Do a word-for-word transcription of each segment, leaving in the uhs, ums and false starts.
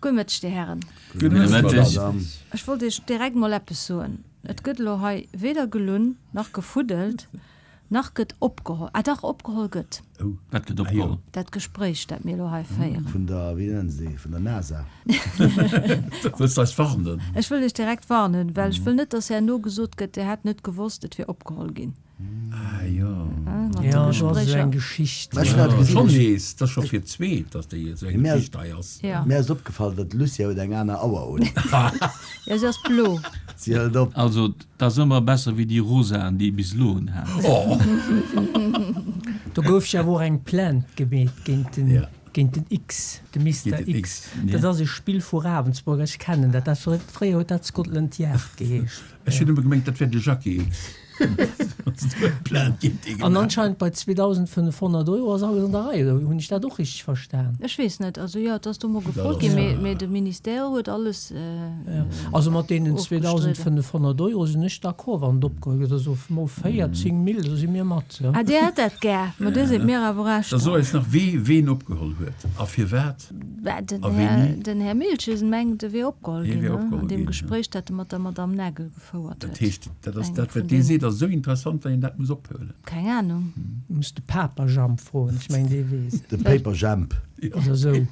Gudd Mëtteg, Dir Hären. Gudde Mëtteg. Ech wollt Iech direkt mol eppes soen. Et gëtt elo hei weder gelunn, nach gefuddelt, nach gëtt opgeholl. Ah dach, opgeholl gëtt. Oh. Wat gëtt opgeholl? Dat Gespréich, dat mir elo hei féieren. Vun der, wéi nennen se déi, vun der NASA. Wëlls de eis warnen? Ech wëll Iech direkt warnen, well ech wëll net, dass herno gesot gëtt, Dir hätt net gewosst, et wier opgeholl ginn. Ah jo. Mat de Ja, do ass esou Gespréicher. eng Geschicht. Mä ech hunn dat gesinn, Schonn ech. nees, dat ass scho fir d'zweet, datt déi esou eng Mir ass, Geschicht hei ass. Ja. mir ass opgefall, datt d'Lucia huet eng aner Auer un. Ja, si ass blo. Si hëlt op. Also, 't ass ëmmer besser wéi déi rosaen, déi ee bis elo un hat. Oh! Do gouf jo awer och eng Plainte gemeet géint den, Ja. géint den X, de Mister Géint den X. X, Dat ja. ass e Spill vu Ravensburg, ech kennen dat. Dat fréier huet dat Scotland Yard geheescht. Ech hunn ëmmer gemengt, dat wär de Jackie X. An anscheinend bei zweedausendfënnefhonnert Euro ass alles an der Rei, oder hunn ech dat och richteg verstan? Ech weess net. Also jo, et ass do mol gefrot ginn, mee, mee de Ministère huet alles Also mat deenen ofgestridden. zweedausendfënnefhonnert Euro sinn ech d'accord, wann et opgeholl gëtt. Also mol véierzéng Mille, do si mir mat. Ah, Dir hätt dat gär. Ma dir sidd mir awer Da Rechter. so eis nach, wee ween opgeholl huet a firwat Bah, den a Här, wéini. den Här Miltgen mengt, e wier opgeholl Hie ginn, wier ne, an opgeholl deem ginn, ja. Gespréich, dat e mat der Madame Nagel gefouert Dat huet. heescht, dat ass Engem dat, vun wat dee deenen. seet, ass esou interessant, datt een dat muss ophuelen. Keng Ahnung. Muss de Paperjamp froen, ech mengen, dee weess et. De Paperjamp. Oder esou.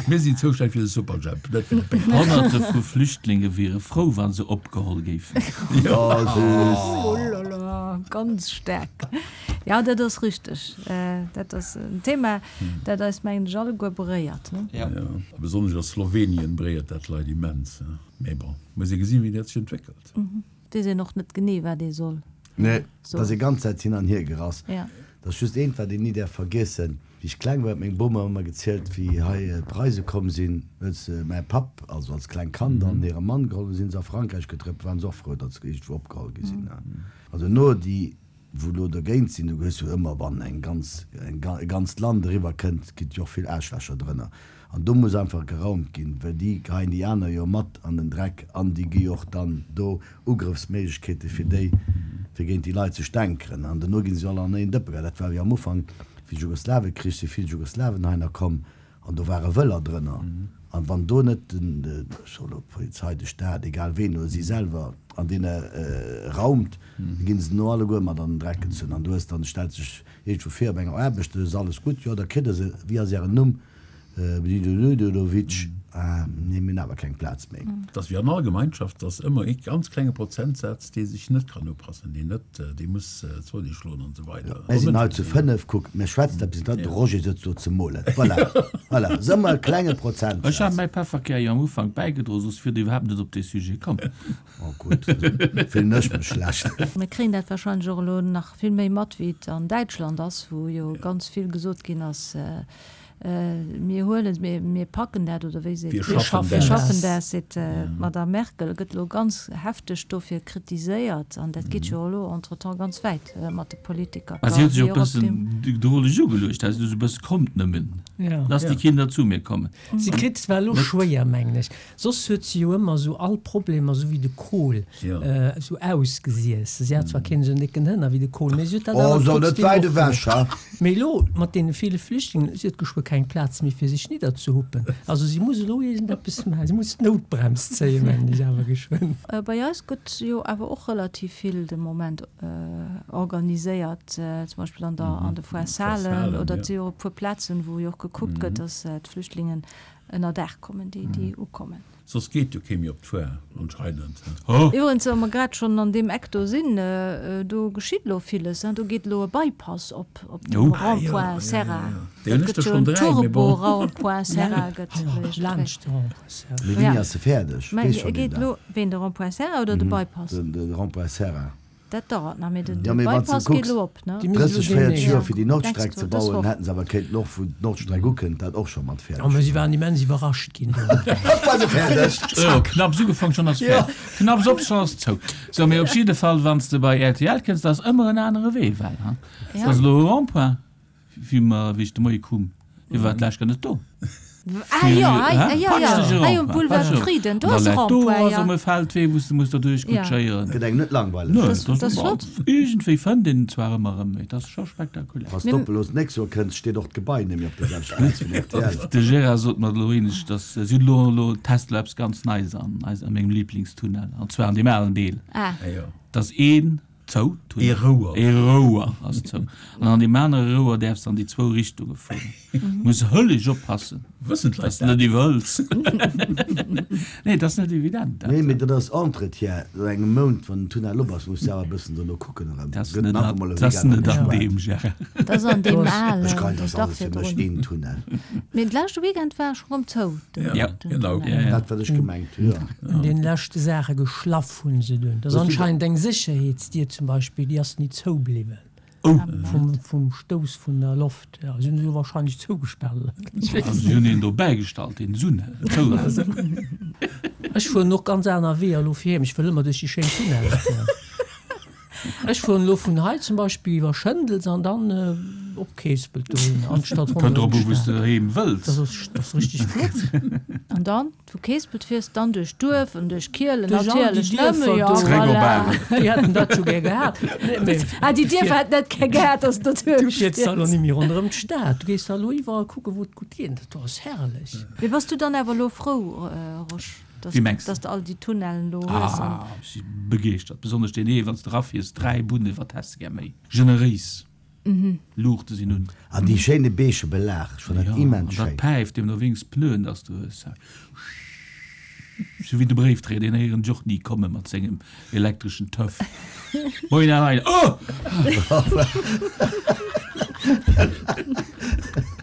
Mir sinn zoustänneg fir de Superjhemp, net fir de Paperjamp. Honnerte vu Flüchtlinge wiere frou, wa se opgeholl géifen. Oh, süß. Oh là là, ganz staark. Jo, dat ass richteg. Dat ass en Thema, dat eis, mengen ech, alleguer beréiert, ne? Ja. Jo, a besonnesch a Slowenien beréiert dat d'Leit immens. Mee bon, muss ee gesinn, wéi dat sech entwéckelt. Et weess een och net genee, wat ee soll Nee, et soen. ass ee ganz Zäit hin an hier gerass. Ja. Et ass just eent, wat een ni däerf vergiessen, Wéi ech kleng war, huet meng Bom mer ëmmer gezielt, wéi hei d'Preise komm sinn, huet se mäi Papp, also als klengt Kand, an hire Mann geholl, du sinn se a Frankräich getrëppelt, waren se och frou, datt se iergendwou opgeholl gi sinn. Also no déi, wou elo dergéint sinn, du hues jo ëmmer, wann eng ganz, e ganzt Land eriwwer kënnt, ginn et jo och vill Aarschlächer drënner. An do muss einfach geraumt ginn, well déi geheien déi aner jo mat an den Dreck an déi gi jo och dann do Ugrëffsméiglechkeete fir déi, fir géint déi Leit ze stänkeren. An dono gi se jo all an een Dëppe geheit. Dat war jo am Ufank, wéi Jugoslawekrich, si vill Jugoslawen heihinner komm an do ware Wëller drënner. An wann do net den, ech soe lo d'Polizei, de Staat, egal ween, oder si selwer an deene raumt, da gi se no alleguer mat an den Dreck gezunn. An du hues dann, stellt sech iergendwou vir op enger Aarbecht, do ass alles gutt, jo da kritt Der se, wéi ass Ären Numm? Bdidododovic, Ah, nee, mir hunn awer keng Plaz méi. Et ass wéi an all Gemeinschaft, et ass ëmmer ee ganz klenge Prozentsaz, dee sech net kann upassen, deen net, dee muss Zoni schloen an esou weider. Mir sinn hei zu fënnef, kuck, mir schwätzen eppes, de Roger sëtzt do ze molen. Voilà, voilà, ass ëmmer e klenge Ech hat Prozentsaz. mäi Pefferkär jo am Ufank bäigedroen, soss wier Der iwwerhaapt net op dee Sujet komm. Oh gutt, fillen ech mech schlecht. Mir kréien dat warscheinlech och elo nach vill méi mat, wéi et an Däitschland ass, wou jo ganz vill gesot ginn ass, Mir huelen, mir packen dat, oder wéi seet, Wir schaffen wir schaffen das, das, seet d'Madame Merkel, gëtt elo ganz hefteg dofir kritiséiert. An dat geet jo elo entretemps ganz wäit mat de Politiker. Mä si huet sech och e bëssen droleg ugeluecht, also esou e bësse, Kommt nëmmen, lasst die Kinder zu mir kommen. Si kritt zwar elo schwéier, mengen ech, soss huet si jo ëmmer esou all Problemer, esou wéi de Kohl, esou ausgesiess. Si hat zwar keen esou en décken Hënner wéi de Kohl, mä si huet dat Oh, awer so net trotzdem wäit och ewech, gemaach. ha? Mee elo, mat deene ville Flüchtlingen, si huet geschwë keng Plaz méi fir sech nidderzehuppen. Also si muss elo iergendeppes maachen, si muss d'Noutbrems zéien, mengen ech awer geschwënn. Bei eis gëtt jo awer och relativ vill de Moment organiséiert, zum Beispill an der an de Foires-Salen oder et si jo och e puer Plazen, wou jo och gekuckt gëtt, datt d'Flüchtlingen ënner Daach kommen, déi déi ukommen. Soss geet jo kee méi op d'Foire anscheinend. Iwwerens, wa mer grad schonn an deem Eck do sinn, do geschitt elo villes, do geet elo e Bypass op, op dem Rond-point Serra. Déi hunn Dat ech gëtt der jo schonn en dräi, mee bon. Turbo-Rond-point Serra gëtt iergendwéi. Laanscht de Rond-point Serra. Mee wéini ass se fäerdeg? Mä Weess schonn een geet dat? elo, ween, de Rond-point Serra oder de Bypass? De Rond-point Serra. Dat dauert nach, mee den Ja, mee wann s de Bypass geet kucks, elo op, ne? Déi misst elo drësseg, véierzeg deemnächst. Joer fir déi Nordstreck Nächst ze Wo, dës bauen, Woch. hätten se awer kéinten och, wou d'Nordstreck ukënnt, dat och scho mat Oh, fäerdeg mä si maachen. waren immens iwwerrascht ginn do. Hopp, war se fäerdeg! Jo, knapps ugefangen, schonn ass fäerdeg. Knapps op, schonn ass zou. Sou, mee op jidde Fall, wann s de bei rtl kënns, da ass ëmmer en anere Wee, well, ha, et Ja. ass elo e Rond-point, wéi mer, wéi ech de Moie koum, dee war d'lescht gar net do. Ah jo, hei, jo, jo, hei um Boulevard Frieden, do ass e Rond-point, jo. Do ass erëm e Feldwee, wou s de muss derduerch kutschéieren. Gëtt engem net langweileg. Nö, dat ass flott. Iergendwéi fënnt een en zwar ëmmer erëm, mee et ass scho spektakulär. Wann s de op elo d'nächst Joer kënns, steet och d'Gebai net méi op der selwechter Plaz vun rtl. De Gérard sot mer elo enescht, dass si hunn elo elo testen elo eppes ganz Neies an eis, a mengem Lieblingstunnel, an zwar an deem alen Deel. Ah. Dass een zou, Ee Rouer. Ee Rouer ass zou. An an deem anere Rouer däerfs de an déi zwou Richtunge fueren. Muss hëlleg oppassen, Wëssen d'Leit dass de dat? net iwwerhëls. Nee, dat ass net evident, dat. Nee, mee dat ass Entretien. No engem Mount, wann den Tunnel op ass, muss de awer e bëssen dono kucken erëm. Dat ass Gëtt net nach an, emol e dat ass Weekend net an agespaart. deem, Gérard. Dat ass an deem alen, Ech gein, dat ass dach alles fir mech virdrun. een Tunnel. Mee de leschte Weekend war ech erëm zou, den Ja, den genau. Tunnel. Ja, ja. Dat, wat ech gemengt hu, jo. An deene leschte Saache geschlaff hunn se dunn. Dat ass anscheinend eng Sécherheetsdier zum Beispill, déi ass ni zou bliwwen. Vum, vum Stouss vun der Loft. Ja, se hunn se jo wahrscheinlech zougespaart oder ech weess Also si hunn een do bäigestallt, deen se zougehält. Ech fueren och ganz aner Weeër elo fir heem. Ech wëll ëmmer duerch déi schéin Tunnelle fueren. Ech fueren elo vun hei zum Beispill iwwer Schëndels an dann op Keespelt dohinner, anstatt Kënnt ronderëm drop u wou s d'Stad. de heem wëlls. Dat ass, dat ass richteg flott. An dann vu Keespelt fiers dann duerch d'Duerf an duerch Kielen Duerch all déi natierlech nëmme, Dierfer jo, do. Zréck op voilà. Arel. Déi hätten dat jo gär gehat. Nee, mee Ah, déi du Dierfer fier, hätten net gär gehat, dass du du derduerch fiers da elo fiers. net méi ronderëm d'Stad. Du gees da elo iwwerall kucken, wou et gutt geet. Dat do ass herrlech. Mee bass du dann awer elo frou, Rosch, dass, Wéi mengs de? dass de all déi Tunnellen elo hues an. Ah, ech si begeeschtert. Besonnesch deen ee, wann s de erafiers, dräi Bunne, wat häss de gär méi? Generéis. Luuchte sinn un. An déi schéine beige Belag, ech fannen dat Ja, immens an dat schéin. päift deemno wéinst Pneuen, dass du hues. Sou wéi de Bréifdréier, deen héieren ech och ni komme mat sengem elektreschen Töff. Moien Här Reiner. Oh!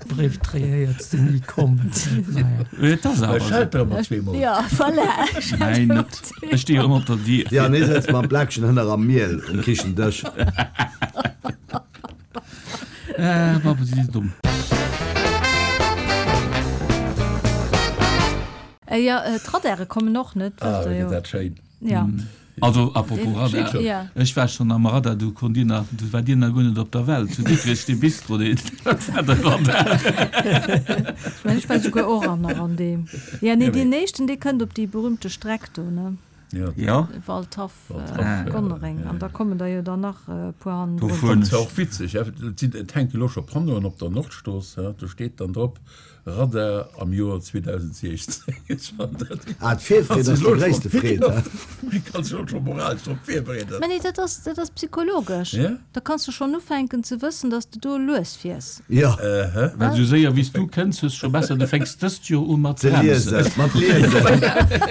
Bréifdréier héiers de ni kommen. Naja. Et ass awer esou. Schellt der ëmmer zweemol. Ja, voilà. Nein, net. Ech sti jo ëmmer op der Dier. Ja, an hie sëtzt mam Plakchen hënner am Miel um Kichendësch. Äh, Papp, si si domm. Äh, ja, äh, d'Radare kommen och net, Ah, wësst der wéi jo. gëtt dat schéin. Ja. Also, apropos Radar, Steet Ja. ech war schonn am Radar, du konnt Dir nach, du war Dir nach guer net op der Welt, zu Dikrech, dee Bistro, deen, dat war de Radar. Ech mengen, ech war souguer och an nach an deem. Ja, nee, Ja, mee. deen éischten, dee kënnt op déi berühmte Streck do, ne? Ja. Ja. Waldhaff, Waldhaff, äh, Gonnereng. An da kommen der jo dann nach e puer Do hannendrun. fueren Dat ass ech. och witzeg, et sinn, et hänke lo scho Panneauen op der Nordstrooss, do steet dann drop, Radar am Joer zweedausendsechzehn. Ech fannen dat. Ah, d'Virfreed ass déi gréisste Freed, he? Kanns dech och scho moralesch drop virbereeden. Mä nee, dat ass, dat ass psychologesch. Ja? Da kanns du schonn ufänken ze wëssen, dass de do lues fiers. Jo. Well esou séier wéi s du kënns, hues scho besser, du fänks dëst Joer u mat Ze bremsen. liesen, mat liesen.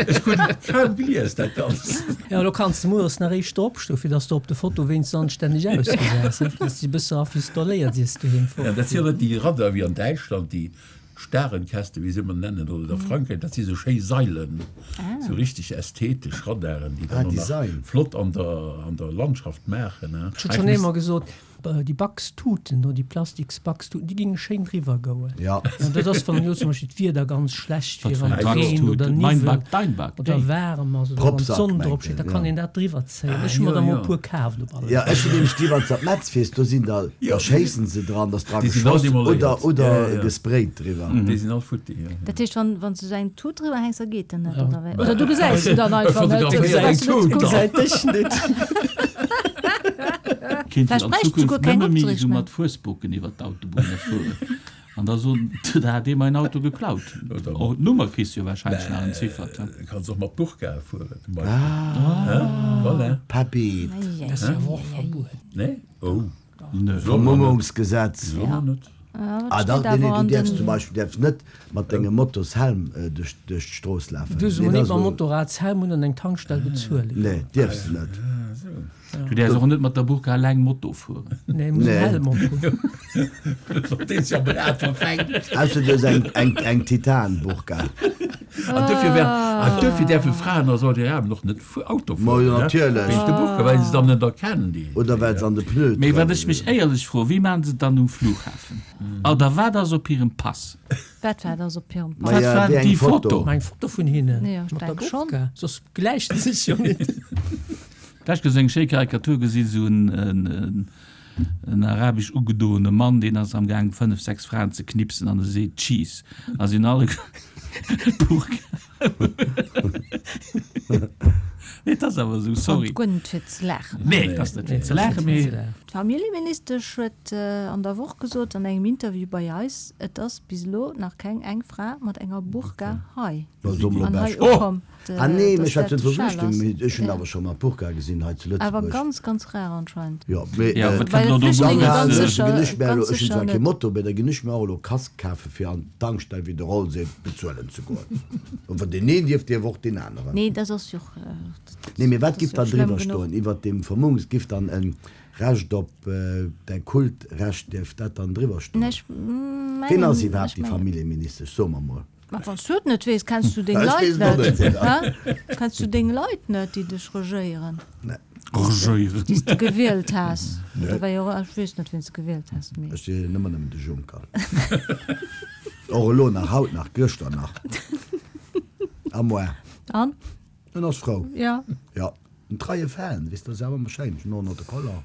Ech krut et kaum gelies, dat Ganzt. Ja, lo kanns de mueres nach éischter opstoen, fir dass de op de Foto wéinstens anstänneg ausgesäis, he? Dass de bësse rafistoléiert, iers du heem Ja, dat sinn fortfiers. jo net déi Radar wéi an Däitschland, déi Starenkäste, wéi se ëmmer nennen, oder a Frankräich, dat si sou schéi Sailen, sou richteg ästhetesch Radaren, déi Ah, dann och nach Design. flott an der, an der Landschaft maachen. Ech hunn schonn eemol gesot, déi Baxtuten do, déi Plastiksbaxtuten, déi géinge schéin driwwer goen. Ja. An dat ass, wann elo zum Beispill d'Wieder ganz schlecht Wat wier, fir eng wann et reent Baxtut? oder Mein niwwelt Bak, dein Bak, oder déi. waarem ass oder wann Propsack, d'Sonn mengt drop steet, en, da kann ja. een dat driwwer zéien. Ah, Ech hu mer jo, der mol jo. e puer kaaft op alle Ja, Fall. ech hunn nämlech déi, wann s de op Metz fiers, do sinn der, da schéissen se dran, da ass dra Déi sinn all geschoss demoléiert. oder, oder Ja, ja. gesprayt driwwer. Déi sinn all futti, ja. Dat heescht, wann, wann s du sou eng Tut driwwer hänks, da geet den net, Ja. oder wéi? Oder du gesäis se dann einfach net. Du Fotograféier gesäis eng se net Tut gutt. Gesäit dech net. Kéint Vläicht een an bräicht souguer Zukunft keng nëmme méi Opdriech esou méi. mat Fuesboken iwwer d'Autobunne fueren. An da soen, da hat ee mäin Auto geklaut. Oder Och d'Nummer kriss du jo wahrscheinlech nach entziffert, he? Du kanns och mat Burka fueren, zum Beispill. Ah. Voilà. Pabeet. Dat ass jo awer och verbueden. Nee? Oh. Nö. Vermummungsgesetz. Soll man net. Ah dach, nee, nee, du däerfs zum Beispill däerfs net mat dengem Motoshelm duerch duerch d'Strooss lafen. Du Nee, soll dat net ass mam elo. Motorradshelm un an eng Tankstell bezuelen. Nee, dierfs de net. Du däerfs och net mat der Burka eleng Moto fueren. Nee, muss en Nee. Helm op hunn. Wann dee sech am Rad verfänkt. Ausser du hues eng eng eng Titan-Burka. An dofir wär, an dofir däerfe Fraen a Saudi-Arabien och net fu Auto Ma fueren, jo, ne? natierlech. Wéinst de Burka, well se dann net erkennen, déi. Oder well se an de Pneu Mee wat dran ech mech éierlech froen, wéi maachen se et dann um Flughafen? Oder wat ass op hirem Pass? Wat war ass op hirem Pass? Ma Wat ja, war déi eng déi Foto? Foto. Ma eng Foto vun hinnen Ja, ech mat der denk schon. Burka, soss gläicht se sech jo net. D'lescht Kéier esou eng schéi Karikatur gesinn, esou en, en, en en arabesch ugedoene Mann, deen ass am Gaang fënnef, sechs Fraen ze knipsen an e seet Cheese a si hunn alle Burka. Nee, et ass awer esou, sorry. Guer net fir ze laachen. Nee, et ass net fir ze laachen, mee. D'Familljeministesch huet an der Woch gesot an engem Interview bei eis, et ass bis elo nach keng eng Fra mat enger Burka hei an hei ukomm. Ah nee, mee ech schwätzen vu Flüchtlingen, mee ech hunn awer scho mat Burka gesinn hei zu Lëtzebuerg. Awer ganz, ganz rar anscheinend. Jo, mee Ja, wat kënnt elo do dann ganz ginn ech mir elo, ech hunn zwar kee Moto, mee da ginn ech mir och elo Casque kafe fir an d'Tankstell, wéi de Roll seet, bezuelen ze goen. An wann deen een dierf, dierf och deen aneren. Nee, dat ass jo och, Nee, mee wat dat giff ass jo dann och schlëmm driwwer genuch. stoen iwwert deem Vermummungsgesetz? Giff dann e Recht op däi Kultrecht, dierf dat dann driwwer stoen? Nee, ech Ween ass mengen, iwwerhaapt ech déi mengen. Familljeministesch? So mer mol. Ma wann s du et net weess, kenns du deng Ech Leit weess et och net, net. hä? Kenns du deng Leit net, déi dech regéieren? Nee. Regéieren. Déi s de gewielt has? Nee. Oder wéi och, ech weess net, wien s de gewielt has, mee. Ech wielen ëmmer nëmmen de Juncker. Och elo nach, haut nach, gëschter nach. A moi. An? En ass frou. Ja. Ja. En treie Fan, weess de, ass awer ëmmer schéin. Ech hunn och nach de Color.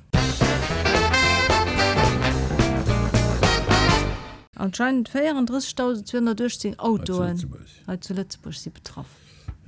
Anscheinend véierendrëssegtausendzweehonnertuechtzéng Autoen Hei hei zu Lëtzebuerg si betraff.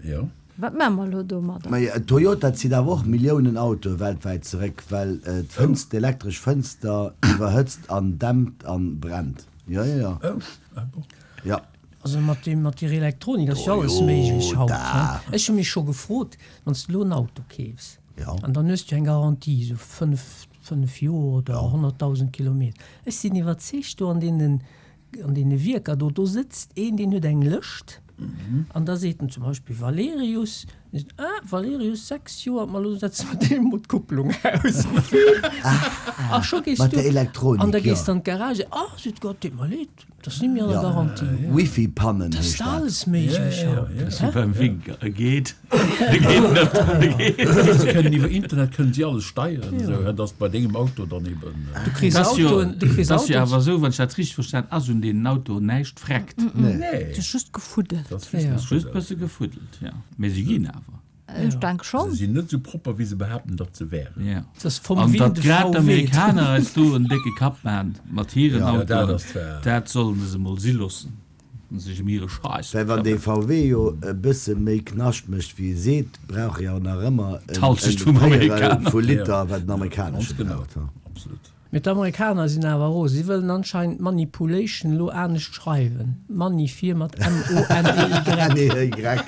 Jo. Wat maache mer elo domadder? Mä Toyota zitt awer och Milliounen Autoe weltwäit zeréck, well d'Fënster, d'elektresch Fënster iwwerhëtzt an dämpt an brennt. Jo, jo, jo. Oh, ah bon. Jo. Also mat deem, mat deer Elektronik ass jo alles méiglech haut, he? Ech hu mech scho gefrot, wann s de elo en Auto keefs an dann hues du eng Garantie, esou fënnef, fënnef Joer oder honnertdausend Kilometer. Ech sinn iwwerzeegt, do an deenen, an deene Wierker do, do sëtzt een, deen huet eng Lëscht an da seet en zum Beispill Valerius, da seet en, ah, Valerius, sechs Joer, ma elo setze mer deem emol d'Kupplung aus. A scho gees Mat du, der Elektronik, an da jo. gees de an d'Garage, ah, seet Gott, deet mer leed, dat ass net méi an der Ja, Garantie. Wifi-Pannen Dat ass heescht dat. alles méiglech haut, Wéi hä? beim Winker, e geet, e geet net, e geet. Se kënnen iwwer Internet kënnen si alles steieren, esou, hä, dass bei dengem Auto dann eben. Du kriss Et ass jo, Autoen, du kriss et ass jo Autoen. awer esou, wann ech dat richteg verstan, ass un deenen Autoen näischt vreckt. Nee. Nee. Et ass just gefuddelt. Dat ass just Ja. Ass just bësse gefuddelt, ja. Mee si ginn awer. Ech denk schonn. Se sinn net esou propper, wéi se behaapten, datt se wären. Ja. Dat ass vom An datt wilde grad V W. d'Amerikaner eis do en décke Kapp maachen mat hiren Ja, dat Autoen, ass zwar. dat sollen se emol si loossen an sech ëm hire Scheiss Well wann dee bekëmmern. V W jo e bësse méi Knascht mécht wéi e seet, brauch e jo nach ëmmer en D'Halschecht vum Véierel Amerikaner. vu Liter, wat den Ganz amerikanesche genau. braucht. Ha. Absolut. Mee d'Amerikaner sinn awer rose. Si wëllen anscheinend Manipulation elo anescht schreiwen. Money fir mat M-O-N-E-Y. N-E-Y.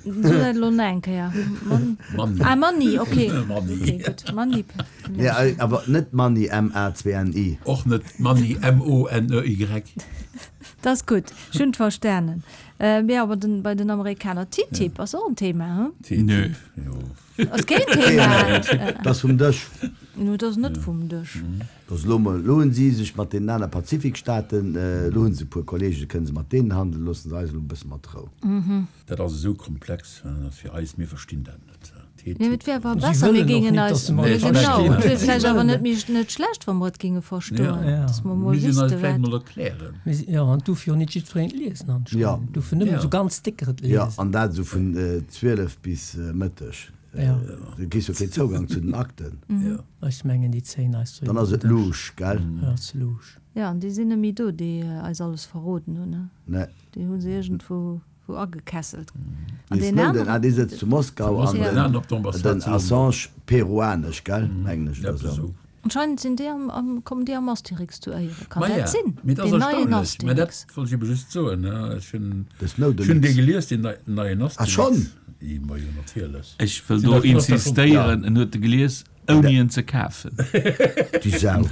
So dat elo nach eng Kéier. Mon Money. Ah, Money, okay. Money. Okay, gutt. Manipulation. Nee, awer net Money, M-A-zwei-N-I. Och net Money, M-O-N-E-Y. Dat ass gutt. Ech hunn et verstanen. Mee awer den, bei den Amerikaner, TTIP ass och en Thema, hm? Nö. TTIP, jo. Ass keen Thema. Dat ass vum Dësch. No, dat ass net vum Dësch. Dat ass elo mol, elo hunn si sech mat deenen aner Pazifikstaaten, elo hunn se e puer Kollegen, kënne se mat deenen handelen, loosse se eis elo e bësse mat Rou. Dat ass esou komplex, dat ass fir eis, mir verstinn dat net. Nee, et wär awer Si besser, mir wëllen och géingen nit, eis, dass se mer et genau, verstinn. et wier Si vläicht awer wëllen net méi, net schlecht, wa mer et géinge verstoen, Ja. dass mer mol Mir sinn eis wüsste vläicht wat. mol erklären. Mir si, jo, an duerfir och net jiddwereen et liesen anscheinend. Ja. Duerfen nëmmen Ja. esou ganz décker et Ja, liesen. an dat esou vun zwielef bis Mëtteg. Ja. Du kriss jo keen Zougang zu den Akten. Ja. Ech mengen, déi zéien eis Dann ass et louche, gell? Ja, ass louche. Ja, an déi sinn net méi do, déi eis alles verroden hunn, ne? Nee. Déi hu se iergendwou wou agekesselt. An Dee deen Snowden, aneren. ah, dee sëtzt zu Moskau an Ja. den, Den op d'Ambassade den zu London. Assange peruanesch, gell? Englesch oder Eppes esou. esou. Anscheinend sinn déi am, am, kommen déi am Asterix zu Éieren. Kann Ma dat ja, sinn? mee dat ass Deen neien erstaunlech. Mä dat Asterix. wollt ech ebe just soen, ne? Ech hunn, De Snowden. ech hunn dee gelies, deen nei, neien Ah, Asterix. schonn? I, ma jo, natierlech. Ech wëll Sinn do dat- ass dat schonn- insistéieren, en huet e gelies, ouni en ze kafen. Déi Sau.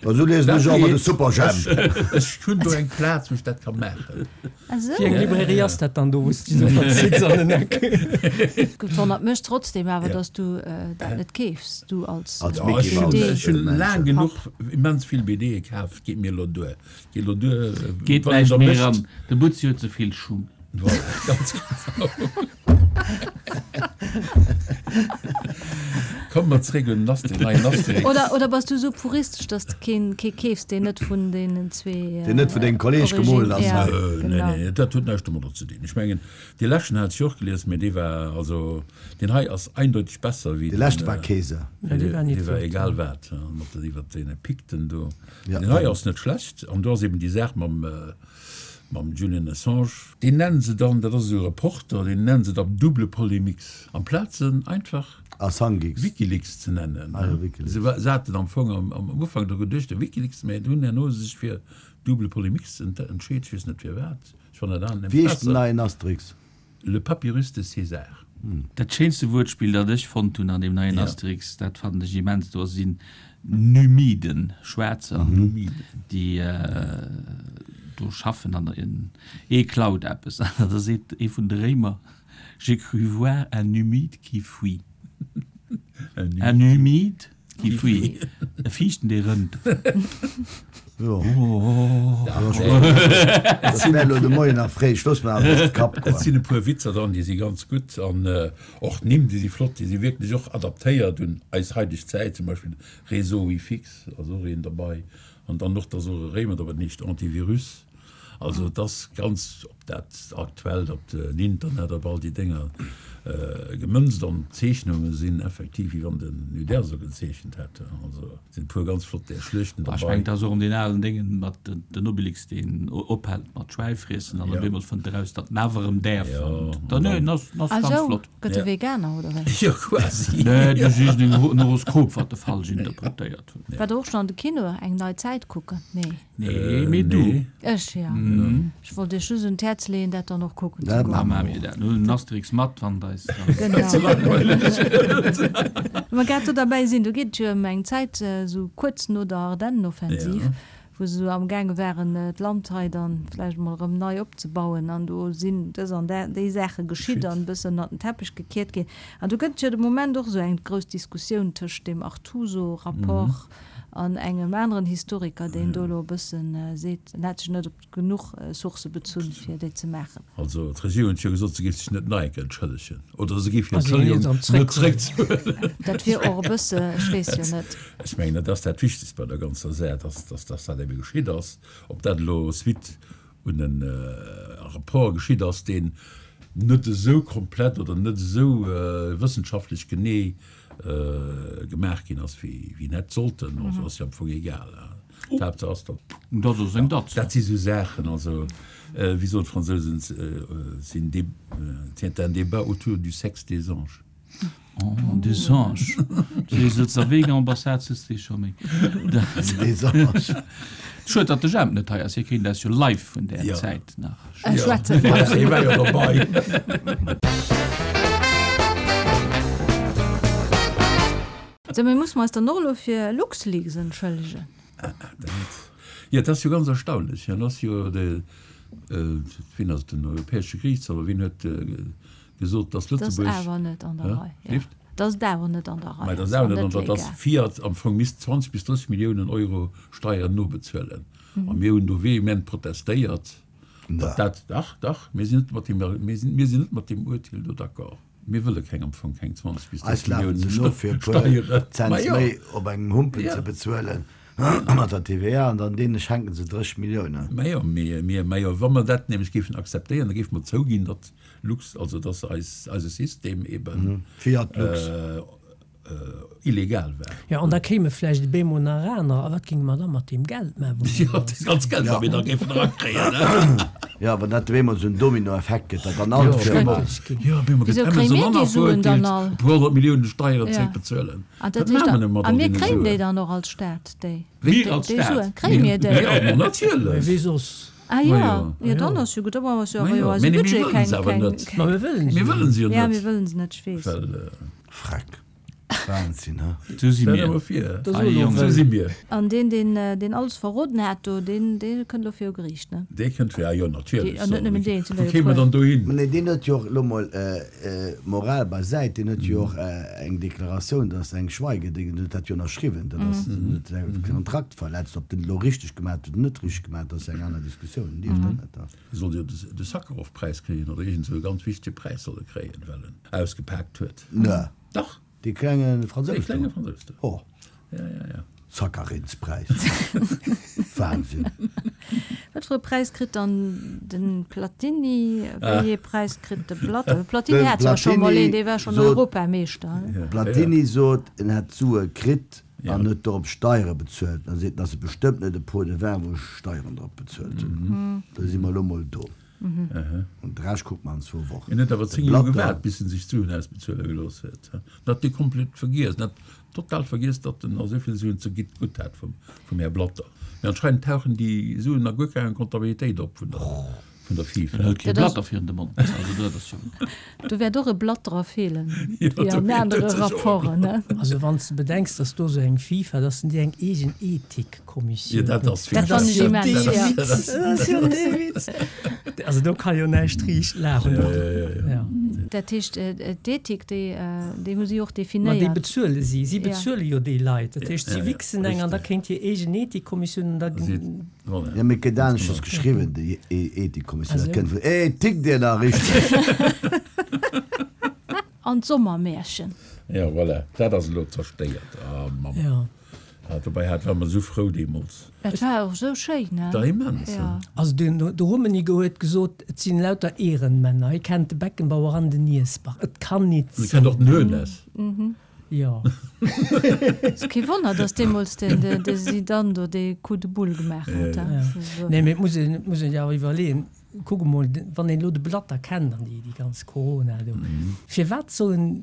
Ma sou liesen ech och ëmmer de Superjhemp. Ech hunn do eng Plaz, wou ech dat ka maachen. Ah sou. Wéi eng Librairie ass dat dann do, wou s de déi sou verzitts an den Eck? Et wonnert mech trotzdem awer, Ja. dass du dat net keefs, du als Als Ja, Mickey ech hunn, Mouse. ech hunn Mensch. laang genuch immens vill B D'e kaf. Geet mir elo duer. Geet elo duer, Geet wann een näischt der méi mécht. eran. De Butzi huet ze vill Schung. Voilà, ganz genau. Komm, Komme mer zréck un den Asterix, neien Asterix. Oder, oder bass du esou puristesch, dass de keen, kee keefs, deen net vun deenen zwee. Deen net vun dengem Kolleg Origine, gemoolt ass, ja, hei. Nee, genau. nee, dat huet näischt domadder ze dinn. Ech mengen, dee leschten hat ech jo och gelies, mee dee war, also deen hei ass eindeuteg besser wéi Dee den, leschte war Keser. Ja, dee war net dee war flott. egal wat, mat den, iwwert deene Pikten do. Ja, Deen hei ass net schlecht an do ass eben déi Saach mam, mam Julian Assange. Deen nennen se dann, dat ass esou e Reporter, deen nennen se da Double Polemix, amplaz en einfach Assangex. Wikileaks ze nennen. Ah jo, Wikileaks. Se se haten am Fong am am Ufank dru geduecht, de Wikileaks, mä hunn herno sech fir Double Polemix entscheet, ech weess net firwat, ech fannen dat aner Wéi nämlech heescht den besser. neien Asterix? Le Papyrus de César. Dat schéinste Wuertspill, dat ech fonnt hunn an deem neien Ja. Asterix, dat fannen ech immens, do sinn Numiden, Schwaarzer, Numiden. déi do schaffen an ee klaut eppes an da seet ee vun de Réimer, J'ai cru voir un Numide qui fuit. Un Numide qui fuit. E Fiichten, dee rënnt. Jo. Dat wär elo de Moien nach fréi. Ech looss mer awer de Kapp Et goen. sinn e puer Witzer dran, déi si ganz gutt an och d'Nimm, déi si flott, déi si wierklech och adaptéiert un eis haideg Zäit, zum Beispill Réseau Wifix ass och een derbei an dann och, dass och e Réimer dobäi, den heescht Antivirus. Also et ass ganz op dat Aktuellt, op den Internet, op all déi Dénger gemënzt an d'Zeechnunge sinn effektiv wéi wann den Uderzo gezeechent hätt. Also et sinn e puer ganz flott där Schluechten Ech derbei. mengen, et ass och ëm deen alen Déngen mat den Obelix, deen ophält mat Schwäi friessen an op Ja. eemol fënnt eraus, datt en awer erëm däerf. Ja, An an dann, nee, dann. en ass, en ass Ah ganz sou, flott. gëtt e Ja. Veganer oder wéi? Jo, quasi. Nee, du sichs en Horoskop, wat e falsch interpretéiert huet. Waart der och schonn an de Kino eng nei Zäit kucken? Nee. Nee, mee du. Nee. Ech, ja. Ech wollt iech just un d'Häerz leeën, dat dann och kucken ze Dat goen. Da maache mir dat. Mir huelen den Asterix mat, wann et eis dann. Genau. Mä grad do derbäi sinn, do geet et jo ëm eng Zäit, esou kuerz no der Ardennenoffensiv, Ja. wou se esou amgaange waren, d'Land hei dann vläicht emol erëm nei opzebauen. An do sinn dës an déi Saache geschitt Geschitt. an e bëssen ënnert den Teppech gekiert ginn. An do gëtt et jo de Moment och esou eng grouss Diskussioun tëscht deem Artuso-Rapport an engem aneren Historiker, deen do elo e bëssen seet, en hätt sech net op genuch Sourcë bezunn, fir déi ze maachen. Also d'Regierung huet jo gesot, se géif sech net nach eng Kéier entschëllegen oder se géif hir Also, hien Entschëllegung ass am net zréckzuelen. Dat wier och e bësse, ech weess jo net. Ech mengen, dat ass dat Wichtegst bei der ganzer Saach, dass, dass, dass dat ebe geschitt ass. Ob dat elo suite un en Rapport geschitt ass, deen net esou komplett oder net esou wëssenschaftlech genee gemaach ginn ass, wéi en hätt sollten, also ass jo am Fong egal. D'Haaptsaach ass, datt. Dat ass eng Datz. Dat si sou Saachen, also wéi soen d'Fransousen, c'est une dé, c'est un débat autour du sexe des anges. Oh, des anges. Du sëtz der Vegan-Ambassade, sëtzt dee scho méi. Des anges. Schued, datt de Jemp net hei ass, hie kéint eis jo live vun där Ja. Zäit nach. Ech schwätze Ja, hie war jo derbei. Sou, mee musse mer eis dann och elo fir LuxLeaks entschëllegen? Dat, jo, dat ass jo ganz erstaunlech. Dat ass jo de, wien ass et, den Europäesche Geriichtshaff, oder wien huet gesot, datt Dat ass Lëtzebuerg. awer net an der Hä? Rei. Ja. Lift? Dat ass awer net an der Rei. Mä dat ass ass awer net net an der, datt legal. Fiat am Fong misst zwanzeg bis drësseg Milliounen Euro Steieren nobezuelen. A mir hunn do vehement protestéiert, datt dat, dach, dach, mir sinn net mat deem, mir sinn, mir sinn net mat deem Urteel do d'accord. Mir wëlle keng am Fong keng zwanzeg bis Eis drësseg lafen Milliounen se no fir e puer Steieren. Cents Ma jo. méi op engem Humpen Ja. ze bezuelen mat der T V A an dann deene schenken se drësseg Milliounen. Ma jo, mir, mir, ma jo, wa mer dat nämlech géifen akzeptéieren, da géife mer zouginn, datt Lux, also datt eis, eise System eben Fiat Lux. äh, illegal war. Jo, an da kéime vläicht op eemol nach aner. A wat géinge mer da mat deem Geld maachen, wou mer Jo, da. dat ganz Geld, wat mir da géifen erakréien, ne? Jo, wann dat op eemol esou en Dominoeffekt gëtt, datt dann all Jo, d'Firma. Schrecklech ginn. Jo, op eemol gëtt Wisou kréie Amazon mir déi Suen dann verurteelt, all? e puer honnert Milliounen Steieren Ja. zréckbezuelen. An dat Wat heescht maache mer da, denn mat a all mir deene kréien déi Suen? dann och als Staat, déi, Mir déi, als déi Staat? Suen? Kréie mir déi? Jo, ma Mee natierlech. wéi soss? Ah Ma jo, jo. jo, dann ass jo gutt. Da brauche mer jo Ma awer jo jo, eise mee nee, mir Budget wëllen keng, se awer keng, net. Ma mir wëllen Mir se jo. wëllen se jo Ja, net. mir wëllen se net, ech weess. Well, Freck. Wahnsinn, he? Sou si Stell mir. dir mol vir. Da Ei, soe lo Jong. Sou si mir. An deen, deen, deen alles verroden hat do, deen, dee kënnt elo viru Geriicht, ne? Dee kënnt vir, ah jo, natierlech. Dee, an net nëmmen deen, et sinn Wou der jo kéim mer puer. dann dohin? Mä nee, deen huet jo och, elo mol Moral beisäit, deen huet jo och eng Deklaratioun, dat ass eng Schweigeding, deen huet dat jo ënnerschriwwen, dat ass, deen huet säi Kontrakt verletzt. Ob deen et elo richteg gemaat huet oder net richteg gemaat, dat ass eng aner Diskussioun, deen dierf dat net. E sollt jo de Sakharov-Präis kréien oder iergend esou e ganz wichtege Präis soll e kréien, well en ausgepaakt huet. Ne. Dach. Dee klenge Dee Fransous klenge do? Fransous do. Oh. Ja, ja, ja. Zacharins-Präis. Wahnsinn. Wat fir e Präis kritt dann de Platini? Wéi ee Präis kritt de Blatter? De Platini De hat zwar scho mol een, Platini dee war schonn sot, Europameeschter. Ja, Platini ja. sot, en hätt d'Sue kritt Ja. an huet dorop Steiere bezuelt. Dann seet en, ass et bestëmmt net e Pot de vin, wou ech Steieren drop bezuelt hunn. Da si mer elo mol do. An de Rescht kucke mer an zwou Wochen. En huet awer De zéng Joer Blatter. gewaart, bis en sech d'Suen ausbezuele gelooss huet. En hat déi komplett vergiess. En hat total vergiess, datt en esou vill Suen ze gitt gutt hat vum, vum Här Blatter. Mee anscheinend tauchen déi Suen a guer kenger Comptabilitéit op vun der, vun der En FIFA. hëlt kee Dat ass, Blatter virun de Mond. Also dat ass jo. do wäert och e Blatterer feelen, Jo, wéi do an feelt anere sech och e Rapporten, Blatter. ne? Also wann s de bedenks, datt do esou eng FIFA, datt se déi eng eegen Jo, Ethikkommissioun dat hunn, ass Dat dat fannen ass ech jo immens, dee ja. Witz, dat ass jo dee Witz. Also do ka jo näischt riicht lafen. Ja, ja, ja, ja. Ja. Dat heescht, d'Ethik, déi, déi hu si och Ma déi definéiert. bezuele si. Si Ja. bezuele jo déi Leit. Dat heescht, si Ja, ja, wichsen eng an da richtig. kéint hir eegen Ethikkommissioun an da. Si, voilà. Ja, mee et gëtt Ganz aneschters genau. geschriwwen, déi Ethikkommissioun. Also. Dat kënnt vun Ethik, dir nach richteg. An d'Sommermärchen. Ja, voilà, dat ass elo zerstéiert. Ah, Mamm. Ja. Ah, dobäi hat, war mer esou frou deemools. Et war och esou schéin, ne? Da immens, Ja. hein. Also den, de Rummenigge huet gesot, et sinn lauter Ehrenmänner. Hie kennt de Beckenbauer an den Niersbach. Et kann nit En kennt och sinn. den Hoeneß. Jo. Ass kee Wonner, dass deemools den, de, de Zidane do dee Coup de boule gemaach huet, Ja, hein. ja. Ja. Also. Nee, mee et muss een, et muss een jo awer iwwerleeën, kuck emol, wann een elo de Blatter kennt an déi, déi ganz Corona do, firwat sollen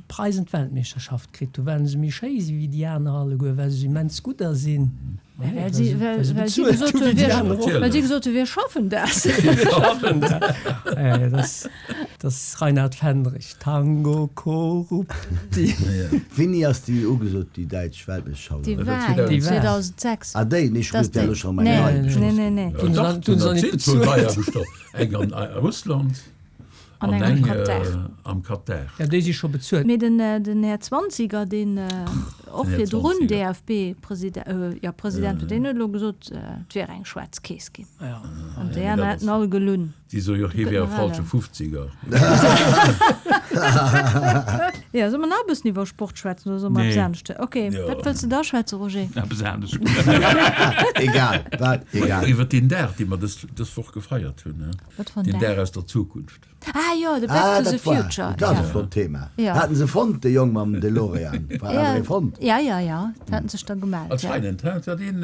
d'Preisen d'Weltmeeschterschaft kritt hu? Well se méi schéi si wéi déi aner alleguer, well se immens gudder sinn? Well Nee, si, well se, well, well se well si bezuelt gesot hu hunn, wéi déi wir, aner och. well si Natierlech. gesot hunn, wir schaffen das. Wir schaffen das. Ja, ja, das, das Reinhard Fendrich, Tango Corrupti. Ja. Wéini ass déi ugesot, déi däitsch Weltmeeschterschaft? Déi Dat war war jo zweitausendsechs. zweitausendsechs. Ah, déi? Nee, ech Das hunn déi déi. elo scho meng Nee, nei nee, beschloss nee, ginn. nee. Ja, Tun se dach, dann, tun se dat dann sinn nicht zwou neier bezuelt. bestoch. Eng an Russland An an eng am eng Katar. äh, am Katar. Ja, déi si scho bezuelt. Mee den, den Här Zwanziger, deen och Den Här virdrun Zwanziger. D F B-President, äh, ja, President, deen huet elo gesot, et wier eng schwaarz Keess ginn. Ja. An Ja, déi mee aner dat hätten ass, all gelunn. déi soe jo, Do hie gëtt wär e nach falsche alle. Fufziger. Ja, solle mer nach e bëssen iwwer Sport schwätzen oder solle mer eppes Nee. anescht? Okay, Ja. wat wëlls de da schwätzen, Roger? Eppes anescht. Egal, wat, egal. Iwwer deen Dag, dee mer dës, dës Woch gefeiert hunn, ne? Wat fir en Deen Dag? Dag aus der Zukunft. Ah jo, de Back Ah, to the dat war, Future. dat ass Ja. e flott Thema. Ja. Haten se fonnt, de Jong mam DeLorean? War Ja, awer ee fonnt? ja, ja, ja, dat haten sech da gemellt, ja. Anscheinend, hä? Dat een,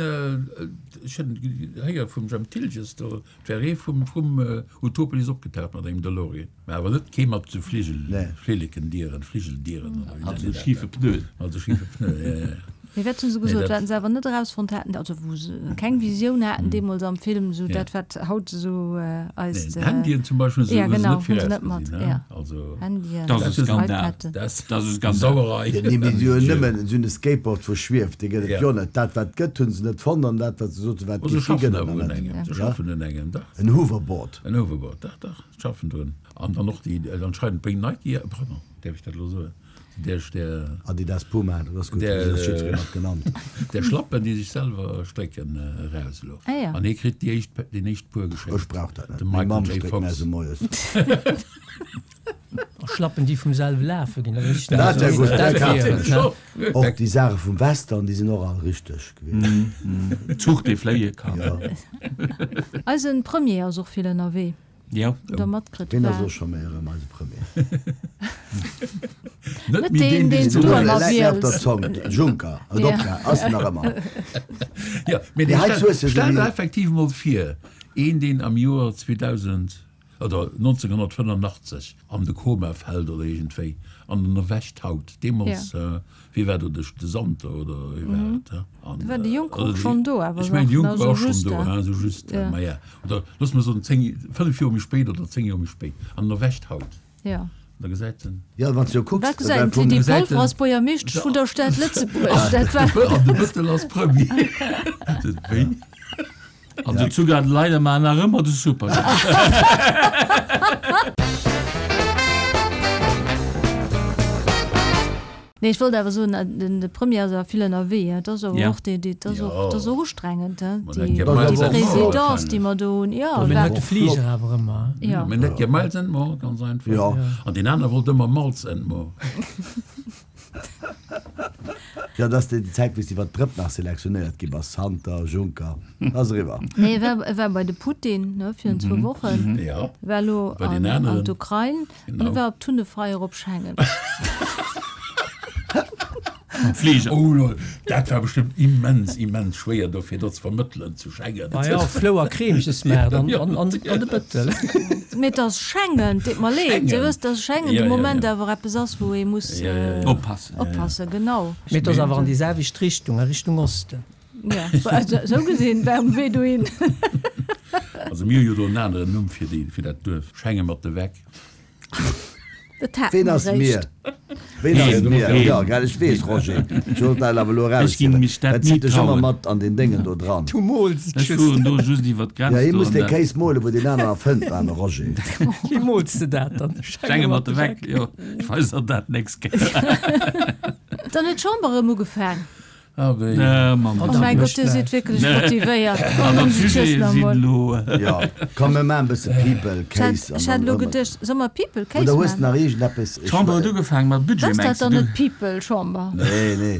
ech hunn héier vum Jemp Thiltges, do wär ee vum, vum Utopolis opgetaucht mat engem DeLorean. Mä awer net kee mat sou Fligel, Nee. Flilleken-Dieren, Fligeldieren oder wéi Hat nennt sou een dat? schiefe Pneuen. Hat sou schiefe Pneuen, ja, ja. Mee wat hu se Nee, gesot, dat. wat se awer net erausfonnt haten, also wou se keng Visioun haten deemools am Film, sou Ja. dat wat haut sou eist. Nee, d'Handyen zum Beispill hu se Ja, hu se genau, net hu se net mat, virausgesinn, ja. Also, Handyen, Dat ass e Skandal. iPaden. dat ass Dat ass e Skandal. Sauerei. Jo, nee, mee si hunn nëmmen esou e Skateboard, wou schwieft, dee gëtt et Ja. jo net. Dat wat gëtt, hu se net fonnt an dat wat se soten, wat Oh, se géif gi, schaffen gëtt et awer nach un net. engem. Se Ja. schaffen un engem, dach. En Hoverboard. En Hoverboard, dach, dach, se schaffen drun. An dann och déi, anscheinend bréngt Nike, pardon, däerf ech dat elo soen? Der, der, Adidas, Puma, dat ass gutt, Der, dat ass jiddweree mat genannt. der Schlappen, déi sech selwer strécken, eraus elo. Ah ja. An hie kritt déi éischt, deen éischt Puer geschénkt. Ech brauch dat net. De Meng Michael Mamm J. stréckt mär Fox. se moies. A Schlappen, déi vum selwe lafe ginn, dat wéisst ech Dat wär gutt, Dat dat wier kafen et, ech. ne? Och déi Saache vum Western, déi sinn och all richteg gewiescht. Zuch, dee fléie kann. Ja. Eisen Premier ass och vill ënnerwee. Ja. Hutt der matkritt? Wien ass War och scho méi erëm eise Premier? Net Net méi deen, deen, deen deen s du du ëmmer Läit mir op der wiels. Zong. Juncker, et Ja. opge, ass nach ëmmer. Ja, mee Mee hei stell, zu hues de stell sou der wéi- effektiv mol vir, een, deen am Joer zweedausend oder nonzénghonnertfënnenachtzeg an de Koma fält oder iergendwéi an en erwächt haut, deemools, Ja. wie war do de, de Santer oder wie war et, hä? An, Da war de Juncker oder och déi, schonn do, awer ech mengen, de nach, Juncker ne, war och sou schonn just, do, hä? hä, sou just, Ja. ma ja. Oder looss mer soen zéng, fënnef Joer méi spéit oder zéng Joer méi spéit, an en erwächt haut. Ja. Da gesäit en. Ja, wann s du jo kucks, Wat gesäit en? well vum D'Lydie Gesäit Polfer en. ass Buergermeeschtesch vun der Stad Lëtzebuerg. Dat war. An de Bëttel ass Premier. Wéi? An de Zucker leider mar nach ëmmer de Super. Nee, ech wollt awer soen, den de Premier ass awer vill ënnerwee, hein. Dat ass awer och déi, déi, dat ass och, dat ass och ustrengend, hein, déi, déi Présidence, déi mer do hunn. Jo, Mä huet de Fliger awer ëmmer, hein. Jo. Mä net gär Miles and More, ganz einfach. Jo. An deen aner wollt ëmmer Malz and More. Jo, dat ass déi Zäit, wou s de iwwer d'Drëpp nach selektionéiert gi bass, Santer, Juncker, dat ass eriwwer. Nee, e war, e war bei de Putin, ne, virun zwou Wochen. Jo. War elo Bei deen an, an aneren. d'Ukrain an e Genau. war op Tunnefeier op Schengen. Mam Fliger. Oh lol, dat war bestëmmt immens, immens schwéier do fir do ze vermëttelen zu Schengen. Ah jo, Flou a Kreemchesmaart an, an, an de Bëttel. Mee et ass Schengen, deet mer leed. Dir wësst, dass Schengen de Moment awer eppes ass, wou ee muss Oppassen. oppassen, genau. Mee et ass awer an déi selwecht Richtung, a Richtung Osten. Ja, esou gesinn war um Wee dohin. Also mir hu jo do en aneren Numm fir déi, fir dat Duerf, Schengen mat de Weck. Dat hat Ween mer ass mir? réischt. Ween ass Heen, mir? heen. Jo, gell, ech weess, Roger. Ech wollt dat awer elo Ech ginn eraushiewen. mech dat Dat ni zitt dech ëmmer trauen. mat an deen Déngen do dran. Du mools et Ech just. fueren do just iwwer Ja, d'Grenz hie do muss an dee dat. Kéis molen, wou deen aneren erfënnt, aarme Roger. Wéi mools de dat dann? Schenge mat de Weck, jo. Ech weis der dat nächst Kéier. Dann huet d'Chamber erëm ugefaang. Ah wéi. Äh, Mann. Oh mäi Gott, Dir sidd wierklech motivéiert. Also d'Sujete sinn elo. Jo, komm mir maachen e bësse People Case Ech hat elo geduecht, solle mer People Case Oder hues de maachen? nach iergendeppes? D'Chamber huet ugefaangen mat Budget, Ass dat mengs dann du? net People Chamber? Nee, nee,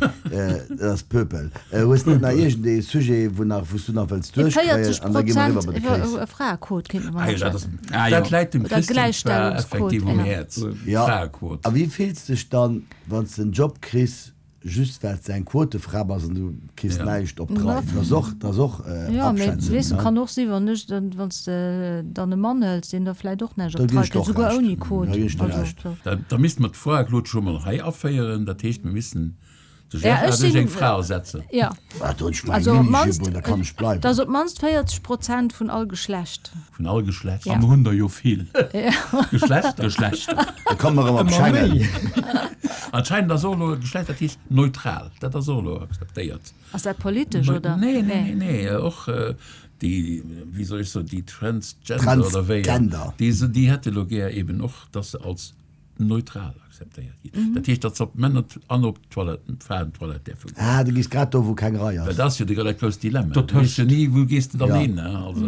dat ass Pöpel. Hues de net nach iergendee Sujet, wou nach, wou s du nach wëlls duerchkréien? Déi véierzeg An da gi mer eriwwer Prozent bei de iwwer Case. e Fraequot kéinte mer Ah nach jo, dat ass, schwätzen. Ah jo. dat läit dem Oder Christian zwar Gläichstellungsquot, effektiv um ja. Häerz, Ja. d'Fraequot. A wéi fills dech dann, wann s de en Job kriss, Just well s de eng Quotefra bass an du kriss näischt op d'Rei. Dat ass och, dat ass och Jo, mee abschätzen, weess de, ne? kann och sinn, wann ech dann, wann s de dann e Mann hëls, deen da vläit och näischt Da op ginn d'Rei ech der kritt, och souguer Recht. ouni Quot. Da ginn ech der Also, Recht. sou. Da, da misste mer d'Fraequot scho mol hei aféieren. Dat heescht, mir missten de Ja, Gérard ech duerch sinn, eng Fra ersetzen. ja. Ah, do hunn ech mäi Also op Minijupe d'mannst, un, da kann ech bleiwen. et ass op d'mannst véierzeg Prozent vun all Geschlecht. Vun all Geschlecht. Ja. A mer hunn der jo vill. Geschlechter. Geschlechter. Da komme mer erëm op Ëmmer Schengen. méi. Anscheinend ass och elo e Geschlecht, dat heescht neutral. Dat ass och elo akzeptéiert. Ass dat politesch, oder? Nee, nee, nee, nee. Och déi, wéi soll ech soen, déi Transgender oder wéi, Transgender. déi, déi hätte elo gär eben och, dass se als neutral akzeptéiert ginn. Dat heescht, datt se op d'Männer an op d'Toiletten, d'Fraentoilette däerfe goen. Ah, du gees grad do, wou keng Rei Well ass. dat ass jo de dat grousst Dilemma. Dat Du weess jo tëscht. ni, wou gees de dann Ja. hin, ne? Also.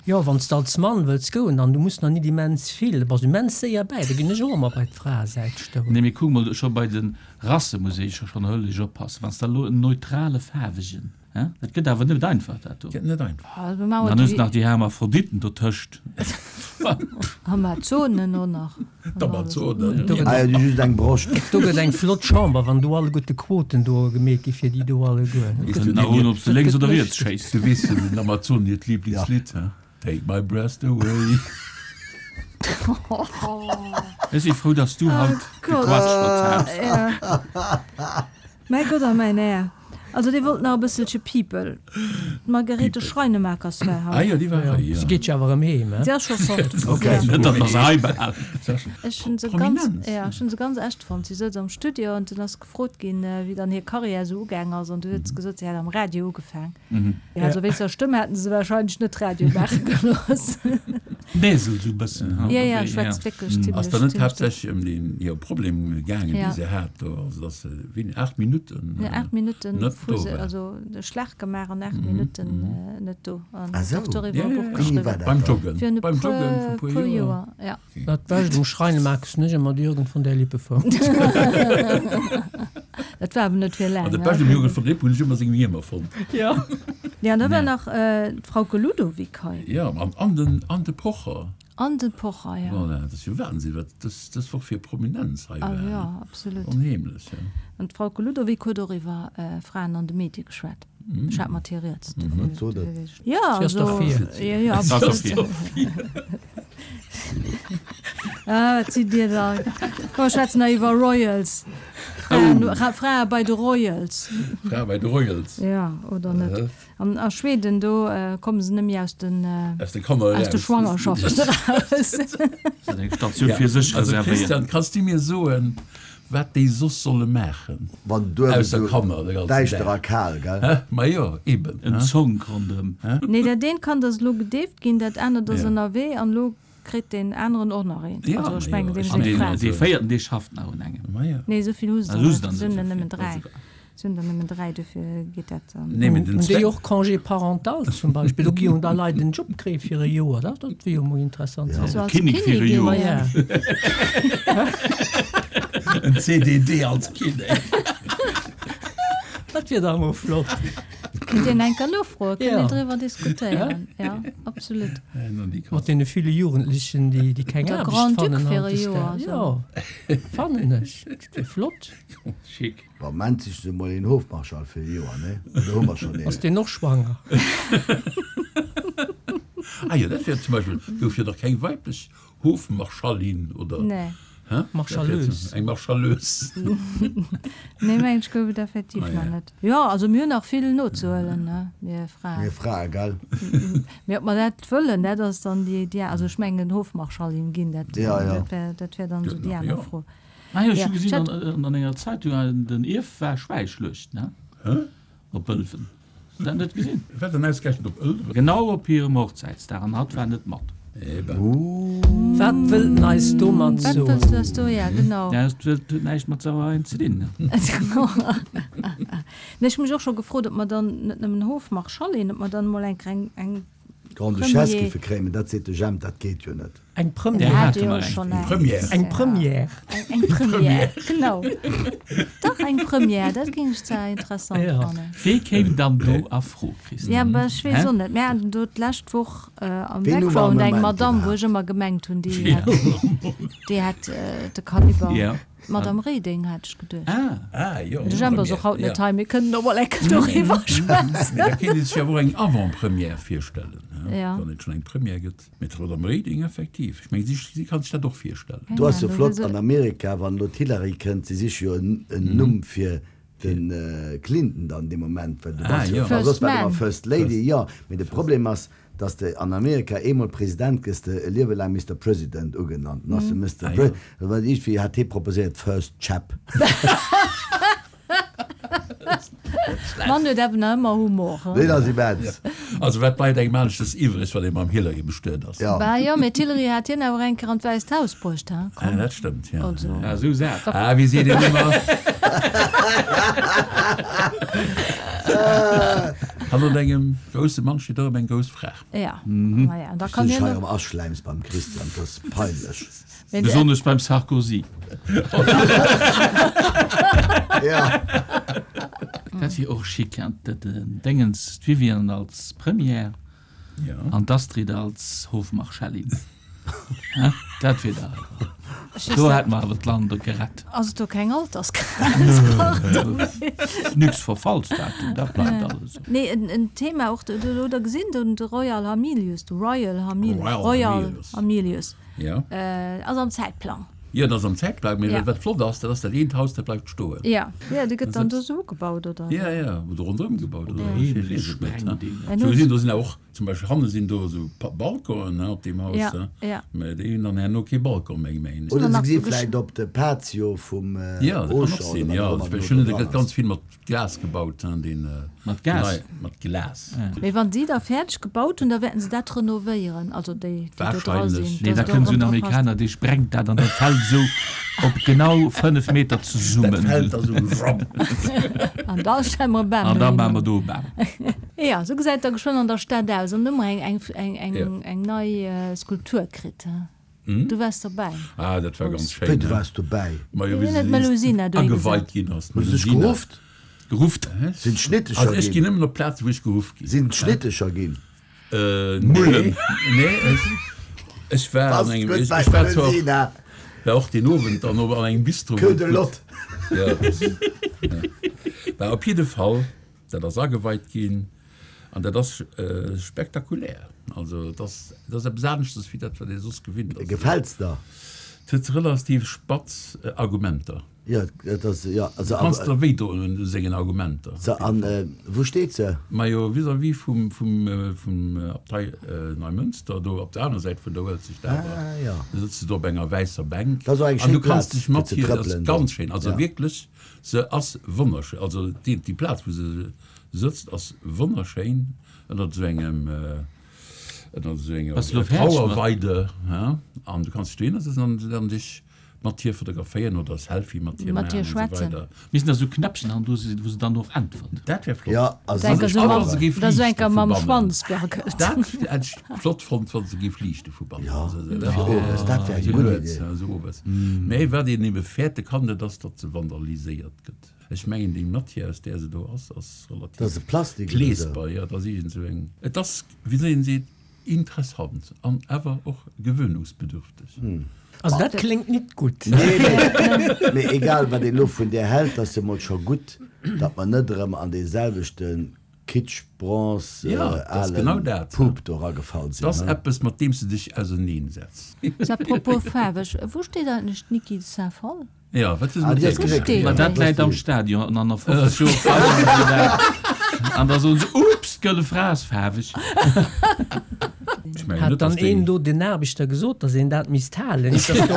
Jo, wann s de als Mann wëlls goen an du muss nach nit immens vill, da bass du immens séier bäi. Da ginn ech och ëmmer bei d'Fraesäit stoen. Nee, mee kuck mol, scho bei de Rasse muss ee scho schonn hëllesch oppassen. Wann s de elo en neutrale faarwegen, hä? Dat gëtt awer net einfach, dat do. Gëtt net einfach. Also, mir maachen Dann hues et de nach déi Hermaphroditen dotëscht. Amazonen och nach. D'Amazonen. Do gëtt Ah jo, déi just eng Broscht. Do gëtt eng flott Chamber, wann do alleguerte Quoten do gemeet gi fir déi do alleguer. Weess Kënnt du nach den un, ob s de lénks gëtt oder riets lëschteg. schéiss. Du weess jo den Amazonen hiert Lieblingslidd, hä? Take my breath away. Ech si frou, dass du haut Gott. gequatscht hues. Ja. Mäi Gott a mäin Här. Also dir wollt nach e bësselche People. D'Margarete Schreinemakers war Ah hei. jo, déi war hei, jo. Si geet jo awer erëm heem, he? Si ass scho fort. Ok. Ja. Net, datt mer se hei behalen. Ech hunn se ganz, Prominenz. ja, ech hunn se ganz echt fonnt. Si souz am Studio an dunn ass gefrot ginn, wéi dann hir Karriär esou ugaang ass an du huet se gesot, si hätt am Radio ugefaang. Ja, also wéinst der Stëmm hätten se wahrscheinlech net Radio maache gelooss. Näsel sou bëssen, ha? Ja, ja, schwätzt wierklech Ass zimmlech, da net zimmlech duerch. haaptsächlech ëm deen hir Problem gaangen, Ja. déi se hat do, also dass se, wéini, aacht Minutten Ja, aacht Minutten net fu do se, war. also de Schlag gemaach an aacht Minutten net do. An Ah sou. och doriwwer Ja, e ja, Buch ja. Wéini war geschriwwen. dat Beim dann? Joggen, Virun e beim Joggen puer, vu puer puer Joer. Joer, ja. Dat Bescht um Schreinemakers hunn ech ëmmer de Jürgen von der Lippe fonnt. Dat war awer net fir An laang, dat ne? Bescht um Jürgen von der Lippe hunn ech ëmmer seng Hiemer fonnt. Ja. Ja, an da war nach d'Frauke Ludowig hei. Ja, an, an den, an de Pocher. An de Pocher, ja. Voilà, dat ass jo Wahnsinn, wat dës, dës Woch fir Prominenz hei Ah war. ja, absolut. Onheemlech, ja. An d'Frauke Ludowig huet och iwwer Fraen an de Medie geschwat. Ech hat mat hir rieds. Wat sot dat? Ja, Si ass also, derfir. ja, ja, Ass absolut. derfir. Ah, wat sidd Dir da? Komm, mer schwätzen nach iwwer Royals. Fraen, Frae bei de Royals. Frae bei de Royals. Ja, oder net? An a Schweden, do komme se nëmme aus den, Aus de Kanner aus de eraus. Schwangerschaften eraus. Dat ass eng Statioun fir sech Also reservéiert. Christian, kanns du mir soen, wat déi soss solle maachen? Wann duerf Ausser esou Kanner de ganzen däischter a Dag. kal, gell? Hä? Ma jo, eben. En Hä? Zonk ronderëm. Nee, dat eent Kand ass elo gedeeft ginn, dat anert ass Ja. ënnerwee an elo kritt deen aneren och nach eent. Ja, Also ech ma mengen, jo, deem ech seng mengen, Fra. Dee véierten, dee schafft nach un engem. Ma ja. Nee, esou vill hu se Ah, der hu se net. der Et net sinn der esou nëmmen vill. dräi. Et sinn der nëmmen dräi, dofir geet dat dann. Nee, mee den Hunn déi Zweck. och Congé parental zum Beispill? Do gi jo da Leit en Job kréie fir e Joer. Dat dat wier jo mol interessant ze Also héieren. als Kinnek fir e Kinnigin, Joer. ja. Ja. En C D D als Kinnek. Dat wier dach mol flott. Kinnt een eng Kéier nofroen, kinnt Ja. een driwwer diskutéieren. Ja, absolut. Mat deene ville Jugendlechen, déi, déi keng Der Aarbecht Grand-Duc fannen fir e Joer, hautdesdaags. so. Ja, fannen ech. Dat wier flott. Schick. Bon, Moment sicht se mol een Hofmarschall fir e Joer, ne? Oder hu mer schonn Ass een? deen och schwanger? Ah jo, dat wär zum Beispill, gouf jo nach keng weiblech Hofmarschallin oder? Nee. Hä? Marschalleuse. Eng Marschalleuse. Nee, mengen ech gouf et effektiv Ah, nach ja. net. Jo, also mir hunn nach vill nozehuelen, ne, mir Fraen. Mir Frae, gell? Mee ob mer dat wëllen, dat ass dann déi, déi, also ech mengen Hofmarschallin ginn, dat, Ja, ja. dat wär, dat wär dann esou déi Ja. aner Fro. Ah jo, ech Ja, hu gesinn ech hat- an, an enger Zeitung, an den Ierf war Schwäischluecht, ne? Hä? Op Ëlwen. Hues du dat net gesinn? Wat dann ausgerechnet op Ëlwen? Genau op hirem Hochzäitsdag an hatt war net mat. Eben. Wat wëllt en eis domat Wat soen? wëlls du eis do, ja, genau. Ja, dat huet näischt mat Sauereien ze dinn, ne? Nee, ech hu mech och scho gefrot, ob mer dann net nëmmen Hofmarschallin, ob mer dann emol eng kleng, eng Grande-Duchesse Premier. giffe kréien, mee dat seet de Jemp, dat geet jo net. Eng Där Première. hate Hate mer jo eng. schonn Eng eng. Première. Eng Première. Eng Première, genau. Dach, eng Première, dat géing ech zwar interessant Ja. fannen. Wee kéim dann do a Fro, Christine? Ja, aber ech weess Hä? och net. Mir haten do d'lescht Woch äh, am Ween hu mer am Background eng Moment Madame, wou iwwerhaapt? ech ëmmer gemengt hunn, déi hätt, déi hätt äh, de Kaliber. Ja. D'Madame Reding hat ech geduecht. Ah. Ah, jo. De Jemp ass och haut net hei, mir kënnen och mol eng Kéier doriwwer schwätzen. Mee da kéint ee sech awer och eng Avant-première virstellen, hä? Ja. Wann et schonn eng Première gëtt. Mee d'Madame Reding, effektiv. Ech mengen, si, si kann sech dat och virstellen. Do ass jo Keine flott Ahnung, an Amerika, wann elo d'Hillary kënnt, si siche jo en Numm fir de Clinton dann dee Moment, well du Ah, bass jo, jo. well soss First war et ëmmer Man. First Lady, jo. Mee de Problem ass, dass de an Amerika eemol President gëss de e Liewe laang Mister President ugenannt. Dann ass de Mister Ah, Pre, jo. well iergendwéi hat hee proposéiert First Chap. Mann huet awer nach ëmmer Humor, he? Deen ass immens. Also wat bleift engem aneschters iwwreg, wann ee mam Hillary bestuet ass? Ja. Bah jo, mee d'Hillary hat hien awer eng Kéier an d'Wäisst Haus bruecht, he? Ah, dat stëmmt, ja. Also. Ja, esou sat. Ah, wéi seet een ëmmer? Hannert engem grousse Mann steet och ëmmer eng grouss Fra. Ja, ma ja, da kann Wéi du hien hei och. erëm aschläims beim Christian, dat ass peinlech. Mee de. Besonnesch beim Sarkozy. Ja. Dat wier och schick, ja, dat den Dingens, d'Viviane als Première Ja. an d'Astrid als Hofmarschallin. Hä? Dat wier da. Ech Do weess hätt mer awer d'Land gerett. Ass et do keng Altersgrenz? Pardon. Nix Verfallsdatum, dat bleift alles esou. Nee, en, en Thema och, du, du, oder gesinn, den, de Royal Hamilius, de Royal Hamilius, Royal Royal Hamilius. Hamilius, Ja. äh, ass am Zäitplang. Jo, dat ass am Zäitplang, mee Ja. wat flott ass, dat ass dat eent Haus, dat bleift stoen. Ja, ja, dee gëtt dann do sou ugebaut, oder? Ja, ja, oder ronderëm gebaut, oder? Ja. Ech weess et net, ne? En Sou huet- gesinn, do sinn och, zum Beispill hanne sinn do esou Pa Balconen, ne, op deem Haus, Ja, ne? ja. Mä déi hunn dann herno kee Balcon méi, mengen ech. Oder nach se gesi so gesch- vläicht op de Patio vum Ja, dat kann och Auchan sinn, oder ja. wat och ëmmer Ech do hunn, dran da gëtt ass. ganz vill mat Glas gebaut, ne, deen, Mat Gas? Nei, mat Glas. Mee wann si da fäerdeg gebaut hunn, da wäerten se dat renovéieren, also déi, déi do dra Wahrscheinlech. sinn, Nee, dass da et kënnt och esou en erëm dra passt. Amerikaner, dee sprengt dat an dat fält esou op genau fënnef Meter Dat zesummen. fält da sou wramm. An da stelle mer e Bam An da dohinner. maache mer do e Bam. Ja, sou gesäit da geschwënn an der Stad aus. An hu mer eng, eng, eng, eng, Ja. eng nei äh, Skulptur kritt. He? Hm? Du waars dobäi. Ah, dat war ganz Wéi, schéin. du ne? waars dobäi? Ma jo, Wien wéi huet se d'Melusina dohi ageweit gesat? ginn ass. Hues du dech D'Melusina. gerufft? Gerufft? Hä? Sinn d'Schnittecher Also ech ginn? ginn nëmmen op Plazen, wou ech geruff ginn. Sinn d'Schnittecher ginn? Äh, Mullen. Nee, nee, ech, ech war an Passt engem, gutt ech, bei ech war zwar Melusina. war och den Owend dann an engem Bistro. Queue de lot. Ja, das, ja. War op jidde Fall, dat ass ageweit ginn an dat ass äh, spektakulär. Also das, das ass eppes aneschtes wéi dat, wat ee soss gewinnt ass. Gefällt's der? Et huet relativ spatz äh, Argumenter. Ja, dat ass, ja, also, Du kanns awer, der wéi doen un sengen Argumenter. So, an, äh, wou steet se? Majo, vis-à-vis vum, vum, äh, vum äh, Abtei äh, Neumünster, do op der aner Säit vun der Uelzecht awer. Ah, ja. Da sëtzt du do op enger wäisser Bänk. Dat ass och eng An schéin du kanns Plaz, dech fir mat ze hir, dat ass trëppelen ganz do. schéin. Also Ja. wierklech, se ass wonnerschéin. Also déi, déi Plaz, wou se sëtzt, ass wonnerschéin. Ënnert esou engem, äh, Ënner esou enger Bass du lo fäerdeg mat? Trauerweide, an du kanns dech dohinner sëtzen an dann dech mat hir fotograféieren oder e Selfie mat hir Mat maachen hir an esou schwätzen. weider. Missten da sou Knäppchen han do sinn, wou se dann och äntwert. Dat wär flott. Jo, a Denker se esou A mam, wa se géif oder esou liichte enker vu mam bannen. Schwanz wackelt. Dat hätt ech flott fonnt, wa se géif liichte vu bannen. Jo, Also, dat fir wär owes, dat wär eng esou gutt lues, Idee. esou owes. Mä wat een ebe fäerte kann, dat ass, datt se vandaliséiert gëtt. Ech mengen, déi Matière, aus där se do ass, ass Dat ass relativ e Plastik oder esou. gleesbar. Jo, dat ass iergend esou eng. Et ass, wéi soll een seet, interessant an awer och gewöhnungsbedürfteg. Also dat kléngt nit gutt. Nee, mee, mee egal wat een elo vun där hält, ass emol scho gutt, datt mer net erëm an dee selwechte Kitsch, Bronze, Ja, dat ass alen genau dat. Pup do eragefall Dat ass sinn. eppes, mat deem s de dech auserneensetz. Apropos faarweg, wou steet eigentlech d'Niki de Saint-Phalle? Ja, wat ass Ah, mat déi ass där? geréckelt, Steet Ma ja. dat läit am Stadion an an der fofzeg Joer feieren se dat. An da soen se, Ups, d'Gëlle Fra ass faarweg. Ech mengen Hat net, dann dass déi. een do den Aarbechter gesot, datt een dat misst halen? Nicht, dass do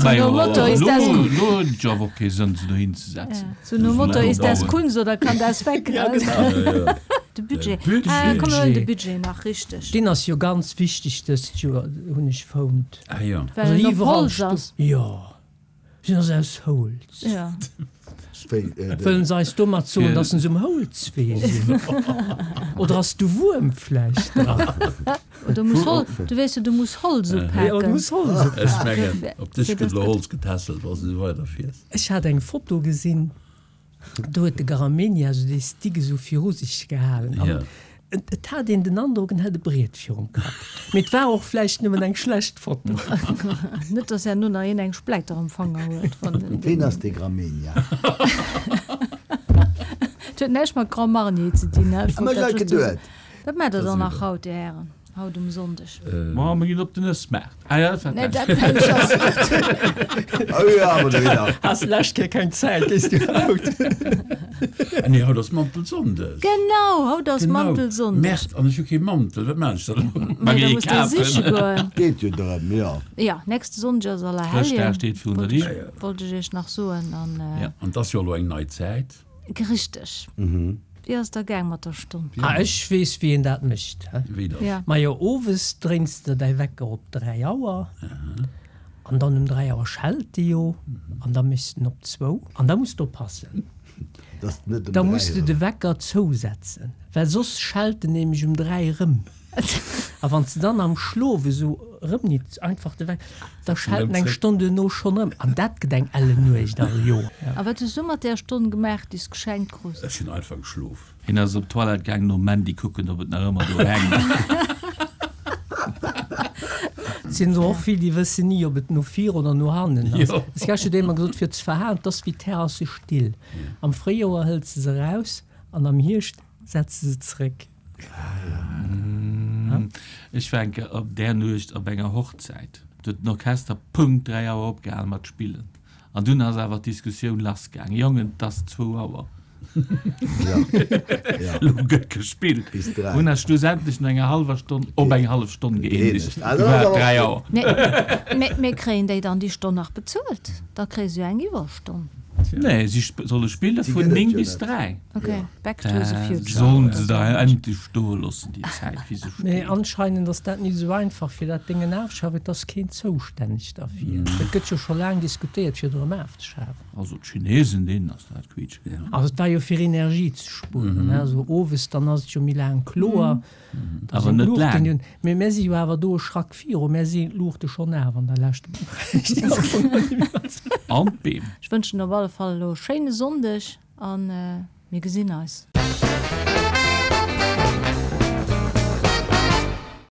Ma jo, nom Motto, ist das elo gut? elo huet et jo awer och kee Sënn, se dohin ze setzen. So nom Motto, ist das Dauern. Kunst oder kann das weg? Ja, genau. Ja, ja. De Budget. De Budget. Ah, komm, mir huelen de Budget. Budget nach, richteg. Deen ass jo ganz wichteg dëst Joer, hunn ech fonnt. Ah ja. Well Also en op iwwerall Holz sto ass. Jo, sinn ass aus Holz. Ja. Wéi, äh, de- Wëllen se eis domat soen, Fir- datt se um Holzwee sinn? Oder ass de Wuerm vläicht dran? Du muss Hol du weess jo, du muss Holz Ja, du upaken. muss Holz upaken. Ech mengen, Fir- op dech fir gëtt dass elo dat- Holz getässelt, wa s du weiderfiers. Ech hat eng Foto gesinn, do huet de Garamendi esou dee Stick esou viru sech gehalen. An Ja. et, et hat een den Androck, en hätt e Briet virum Kapp. Mee et war och vläicht nëmmen eng schlecht Foto. Net, dass herno nach een eng Spläiter am Fanger huet van den- Ween ass de Gramegna? Et huet näischt mat Grand Marnier ze dinn, ne? Ech Ah, wollt ma dat ech just geduet. Wat maacht der Dat dann ass nach egal. haut, Dir Hären? Haut um Sonndeg? Ma mir ginn op den Ëssmaart. Ah ja, dat war Nee, d'lescht. dat mensch ass net. Oh ja, awer do wieder. Has d'lescht Kéier keng Zäit, gees du haut? Ah nee, haut ass Mantelsonndeg. Genau, haut ass Genau. Mantelsonndeg. Merde, an ech hu kee Mantel, wat maan ech dann elo? Ma Nee, da geh muss de siche kafen. goen. Geet jo drëm, jo. Ja, nächste Sonndeg ass Chrëschtdag Allerhelljen. steet virun der Wollt ech, Dier. wollt ech iech nach soen. An, äh, Ja. An 't ass jo elo eng nei Zäit. Richteg. Wéi ass der gaang mat der Stonn? Ah, ech weess, wéi een dat mécht. Hä? Wéi dat? Ja. Majo, owes dréins de däi Wecker op dräi Auer. An dann um dräi Auer schellt de jo. An da méchs de en op zwou. An da muss de oppassen. Dass de net um Da dräi muss de erëm. de Wecker zousetzen, well soss schellt en nämlech um dräi erëm. A wann s de dann am Schlof esou erëm nit einfach de Wecker, da schellt en eng Stonn duerno schonn erëm. An dat gëtt eng ellen Nuecht all Joer. A wat hues du mat där Stonn gemaach, déi s geschenkt krus? Ech hunn einfach geschlof. Hien ass op d'Toilette gaang nom Mandy kucken, ob et nach ëmmer do hänkt. Et sinn der och vill, déi wëssen ni, ob et no vir oder no hannen ass. Jo. Ech hat schon ëmmer gesot, fir ze verhalen, 't ass wéi d'Terrasse still. Am Fréijoer hëls de se eraus an am Hierscht setz de se zréck. Ech war eng Kéier op där Nuecht op enger Hochzäit. Do huet den Orchester Punkt dräi Auer opgehal mat spillen. An dunn ass awer d'Diskussioun lassgaang, Jongen, 't ass zwou Auer. Elo gëtt gespillt. Bis dräi. Hunn eis schlussendlech no enger hallwer Stonn op eng hallef Stonn gëeenegt. Gëeenegt. Ah, Du dat war ass et awer dräi och Auer. Mee, mee kréien déi dann déi Stonn nach bezuelt? Da kréie se jo eng Iwwerstonn. Nee, si solle spille Si vun gëtt et néng jo bis net. dräi. Ok, back to the future. Sollen se da endlech stoe loossen, déi Zäit, wéi se Mee steet. anscheinend ass dat nit esou einfach, fir dat Déngen afschafen. Et ass keen zoustänneg derfir. Et gëtt jo scho laang diskutéiert, fir et erëm afzeschafen. Also d'Chinesen, deenen ass dat quietsch. Also et war jo fir Energie ze spueren, ne? Also owes, dann ass et jo méi laang kloer. Da Awer sinn net d'Luuchten laang. jo, mee mär si jo awer do e Schrack viru, mär sinn d'Luuchte schonn af an der Lescht. An d'Beem. Ech wënschen op alle Fall elo e schéine Sonndeg an mir gesinn eis.